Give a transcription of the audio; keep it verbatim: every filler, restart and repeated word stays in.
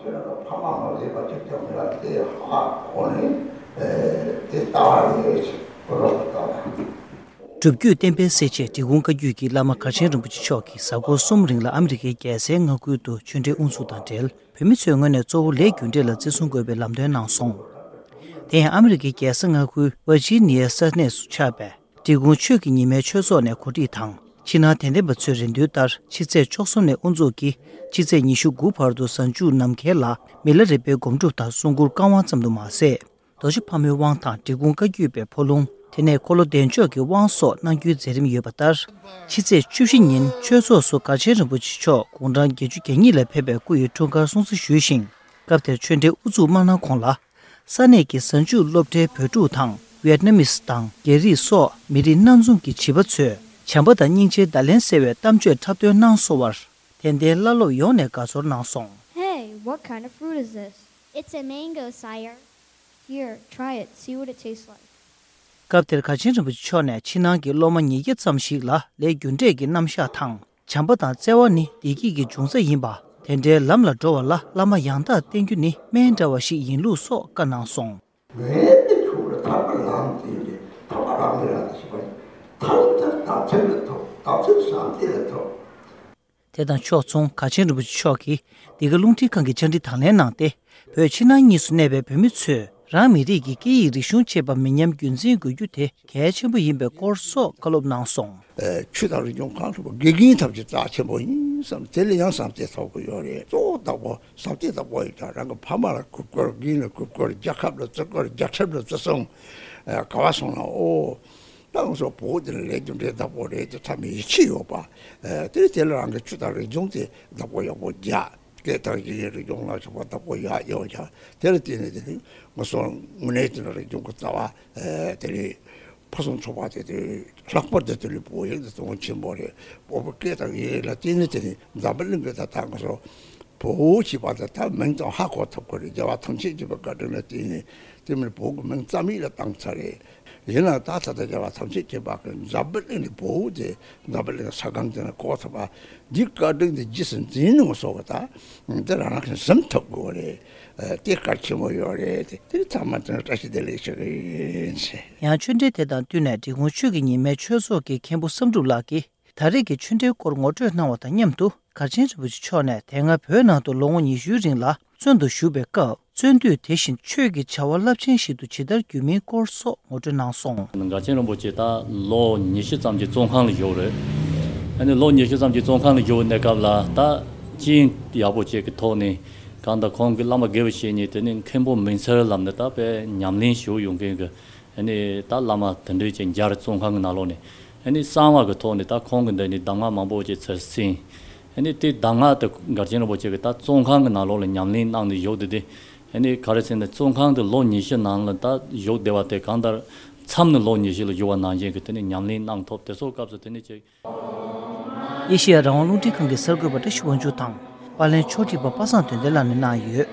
ཁྱེད་རང་ཚོ་ཕ་མ་མ་བསྡད་པ་ཅིག་ཀྱང་མི་ལ་དེ་ཧ་གོ་ནས་དེ་ལྟ་བ་རེད་ཅེས་གོ་རོགས་ལྟ་བ། སྒྲུབ་བརྒྱུད་བསྟན་པའི་གསལ་བྱེད་འབྲི་གུང་བཀའ་བརྒྱུད་ཀྱི་བླ་མ་མགར་ཆེན་རིན་པོ་ཆེ་མཆོག་གིས་གཟའ་འཁོར་གསུམ་རིང་ལ་ཨ་མི་རི་ཀའི་རྒྱལ་སའི་མངའ་ཁུལ་དུ་ཆོས་འབྲེལ་དབུ་འཛུགས་དང་འབྲེལ། བོད་མི་ཚོའི་ངོས་ནས་གཙོ་བོ་ལས་རྒྱུ་འབྲས་ལ་བརྩི་སྲུང་དགོས་པའི་ལམ་སྟོན་གནང་སོང་། དེ་ཡང་ཨ་མི་རི་ཀའི་རྒྱལ་ས་མངའ་ཁུལ་ཝར་ཇི་ནི་ཡའི་ས་གནས་སུ་ཆགས་པའི་འབྲི་གུང་ཆོས་ཀྱི་ཉི་མའི་ཆོས་ཚོགས་ནས་གོ་སྒྲིག་དང་། ཕྱི་ནང་དད་ལྡན་པ་ཚོའི་རེ་འདུན་ལྟར་ཕྱི་ཚེས་བཅུ་གསུམ་ནས་དབུ་འཛུགས་ཀྱིས་ཕྱི་ཚེས་ཉི་ཤུ་དགུ་བར་དུ་གཟའ་མཇུག་ནམ་མཁའི་ལ་མི་ལ་རས་པའི་སྒོམ་སྒྲུབ་དང་གསུང་མགུར་བཀའ་དབང་ཙམ་དུ་མ་ཟད། རྡོ་རྗེ་ཕག་མོའི་དབང་དང་འབྲི་གུང་བཀའ་བརྒྱུད་པའི་འཕོ་ལུང་། དེ་ནས་འཁོར་ལོ་བདེ་མཆོག་གི་དབང་སོགས་གནང་རྒྱུའི་མཛད་རིམ་ཡོད་པ་ལྟར། ཕྱི་ཚེས་བཅུ་བཞི་ཉིན་ཆོས་ཚོགས་སུ་མགར་ཆེན་རིན་པོ་ཆེ་མཆོག་དགུང་གྲངས་བརྒྱད་ཅུ་གྱ་གཉིས་ལ་ཕེབས་པའི་སྐུ་ཡི་འཁྲུངས་སྐར་སྲུང་བརྩི་ཞུས་ཤིང་། སྐབས་དེར་ཆོས་འབྲེལ་དབུ་འཛུགས་མ་གནང་གོང་ལ། ས་གནས་ཀྱི་གཟའ་མཇུག་སློབ་གྲྭའི་བོད་ཕྲུག་དང་། ཝེད་ནམ་མི་སི་དང་རྒྱ་རིགས་སོགས་མི་རིགས་སྣ་འཛོམས་ཀྱི་བྱིས་པ་ཚོས་བྱམས་པ་དང་སྙིང་རྗེའི་བརྡ་ལན་གསལ་བའི་གཏམ་བརྗོད་འཁྲབ་སྟོན་གནང་སོང་བར། དད་ལྡན་བླ་སློབ་ཡོངས་ནས་དགའ་ཚོར་གནང་སོང་། Hey, what kind of fruit is this? It's a mango, sire. Here, try it, see what it tastes like. སྐབས་དེར་མགར་ཆེན་རིན་པོ་ཆེ་མཆོག་ནས་ཕྱི་ནང་གི་སློབ་མ་ཉིས་བརྒྱ་ཙམ་ཞིག་ལ་ལས་རྒྱུ་འབྲས་ཀྱི་རྣམ་གཞག་དང་། བྱམས་པ་དང་བརྩེ་བ་ནི་བདེ་སྐྱིད་ཀྱི་འབྱུང་རྩ་ཡིན་པ། དེ་འདྲའི་ལམ་ལ་འགྲོ་བ་ལ་བླ་མ་ཡང་དག་བསྟེན་རྒྱུ་ནི་སྨན་འདྲ་བ་ཞིག་ཡིན་ལུགས་སོགས་བཀའ་གནང་སོང་། ངའི་མི་ཚོ་ལ་ཐར་པ་ལམ་དེ་རེད། ཐར་པ་ལམ་མི་རག་ཞིག་པ་ཐར་པ་ཐར་བདག་ཚེ་ལ་ཐོབ། བདག་ཚེ་བཟང་དེ་ལ་ཐོབ། དེ་དང་ཕྱོགས་མཚུངས་མགར་ཆེན་རིན་པོ་ཆེ་མཆོག་གིས་འདི་ག་རླུང་འཕྲིན་ཁང་གི་བཅར་འདྲི་དང་ལེན་གནང་སྟེ། བོད་ཕྱི་ནང་གཉིས་སུ་གནས་པའི་བོད་མི་ཚོས་རང་མི་རིགས་ཀྱི་སྐད་ཡིག་རིག་གཞུང་བཅས་པ་མི་ཉམས་རྒྱུན་འཛིན་དགོས་རྒྱུ་དེ་གལ་ཆེན་པོ་ཡིན་པའི་སྐོར་སོགས་བཀའ་སློབ་གནང་སོང་། ཨེ། ཆོས་དང་རིག་གཞུང་གང་ཐུབ་དགེ་རྒན་ཐབས་ཀྱི་རྩ་ཆེན་པོ་ཡིན་བསམ། དེ་ལ་ཡང་བསམ་གཏན་ཐོབ་ཀྱི་ཡོད་རེད། གཙོ་བོ་བདག་པོ་བསམ་གཏན་བདག་པོ་ཡིན་ཀྱང་རང་གི་ཕ་མ་ལ་གུས་བཀུར། རྒན་ལ་གུས་བཀུར། རྒྱལ་ཁབ་ལ་བརྩི་བཀུར། རྒྱལ་ཁྲིམས་ལ་བརྩི་སྲུང་། ཨེ། ག་བ་སོང་ན་ཨོ། ད་ང་ཚོ་བོད་འདི་ལ་ལས་རྒྱུ་འབྲས་བདག་པོ་རེད་དེ་ཐ་མའི་ཡིད་ཆེས་ཡོད་པ། ཨེ། དེ་དེ་ལ་རང་གི་ཆོས་དང་རིག་གཞུང་དེ་བདག་པོ་ཡག་པོ་རྒྱག་སྐད་དང་ཡི་གེ་རིག་གཞུང་ལ་སོགས་པ་བདག་པོ་ཡག་ཡོད་ཀྱང་། དེ་ལ་བརྟེན་ནས་དེ་ནི་ང་ཚོ་དངོས་གནས་དེ་ནི་རིག་གཞུང་གི་རྩ་བ། ཨེ། དེ་ནི་ཕུན་སུམ་ཚོགས་པ་དེ་དེ་ལྷག་པར་དུ་དེ་ནི་བོད་ཡིག་དེ་དོན་ཆེན་པོ་རེད། བོད་པའི་སྐད་དང་ཡི་གེ་ལ་བརྟེན་ནས་དེ་ནི་འཛམ་བུ་གླིང་གི་ད་ལྟ་ང་ཚོ་བོད་ཞེས་པ་དེ་ད་མིང་ཙམ་ཧ་གོ་ཐུབ་ཀྱི་རེད། རྒྱལ་བ་ཐམས་ཅད་མཁྱེན་པའི་བཀའ་དྲིན་ལ་བརྟེན་ནས་དེ་མིན་བོད་ཀྱི་མིང་རྩ་མེད་ལ་བཏང་ཚར་རེད། ཡིན་ནའང་ད་ད་ལྟ་རྒྱལ་བ་ཐམས་ཅད་མཁྱེན་པ་གི་འཛམ་བུ་གླིང་ནས་བོད་དེ་འཛམ་བུ་གླིང་ས་སྒང་དེ་ན་གོ་ཐུབ་པ། འདི་བཀའ་དྲིན་དེ་རྗེས་སུ་འཛིན་ནུས་སོགས་ཀྱི་ད་འདི་རང་རང་གིས་འཛེམ་ཐུབ་དགོས་རེད། ཨ། དེ་གལ་ཆེན་པོ་ཡོད་རེད། དེ་དེ་ཚང་མ་དེ་ནས་བཀྲ་ཤིས་བདེ་ལེགས་ཞུ་གི་ཡིན་ཟེར། ཡང་ཆོས་འབྲེལ་དེ་དང་བསྟུན་ནས་འབྲི་གུང་ཆོས་ཀྱི་ཉི་མའི་ཆོས་ཚོགས་ཀྱི་མཁན་པོ་བསམ་གྲུབ་ལགས་ཀྱིས། ད་རེས་ཀྱི་ཆོས་འབྲེལ་སྐོར་ངོ་སྤྲོད་གནང་བ་དང་མཉམ་དུ། མགར་ཆེན་རིན་པོ་ཆེ་མཆོག་ནས་དེ་སྔ་བོད་ནང་དུ་ལོ་ངོ་ཉི་ཤུའི་རིང་ལ་བཙོན་དུ་བཞུགས་པའི་སྐབས། བཙོན་དུས་དེ་བཞིན་ཆོས་ཀྱི་བྱ་བ་རླབས་ཆེན་ཞིག་ཏུ་ཇི་ལྟར་གྱུར་མིན་སྐོར་སོགས་ངོ་སྤྲོད་གནང་སོང་། མགར་ཆེན་རིན་པོ་ཆེ་ད་ལོ་ཉི་ཤུ་ཙམ་གྱི་བཙོན་ཁང་ལ་བཞུགས་རེད། ཨ་ནི་ལོ་ཉི་ཤུ་ཙམ་གྱི་བཙོན་ཁང་ལ་བཞུགས་པའི་གནས་སྐབས་ལ་ད་རྐྱེན་ཡག་པོ་ཅིག་གི་ཐོག་ནས་གང་ལྟར་ཁོང་གི་བླ་མ་དགེ་བའི་བཤེས་གཉེན་དེ་ནི་མཁན་པོ་མིང་ཚར་ལབ་ནས་ད་དཔེ་ཉམས་ལེན་ཞུ་ཡོང་མཁན་གྱི། ཨ་ནི་ད་བླ་མ་དེ་འདྲའི་ཅིག་མཇལ། བཙོན་ཁང་གི་ནང་ལོགས་ནས་ཨ་ནི་གསང་བ་གི་ཐོག་ནས་ད་ཁོང་གི་འདི་ནས་གདམས་ངག་མང་པོ་ཅིག་ཚུར་གསན། ཨ་ནི་དེ་གདམས་ངག་དེ་མགར་ཆེན་རིན་པོ་ཆེ་གིས་ད་བཙོན་ཁང་གི་ནང་ལོགས་ལ་ཉམས་ལེན་གནང་ནས་བཞུགས་བསྡད་དེ། ཨ་ནི་ག་རེ་ཟེར་ན་བཙོན་ཁང་དེ་ལོ་ཉི་ཤུ་ནང་ལ་ད་བཞུགས་བསྡད་པ་དེ་གང་ལྟར་མཚམས་ནས་ལོ་ཉི་ཤུ་ལ་བཞུགས་པ་ནང་བཞིན་གྱི་དེ་ནས་ཉམས་ལེན་གནང་ཐུབ། དེ་ཚོ་སྐབས་སུ་དེ་ནས་ཅིག། ཨེ་ཤེ་ཡ་རང་དབང་རླུང་འཕྲིན་ཁང་གི་གསར་འགོད་པ་བཀྲ་ཤིས་དབང་ཕྱུག་དང་། པར་ལེན་ཕྱོགས་སྒྲིག་པ་པ་སངས་དོན་ལྡན་ལགས་ནས་གནང་ཡོད།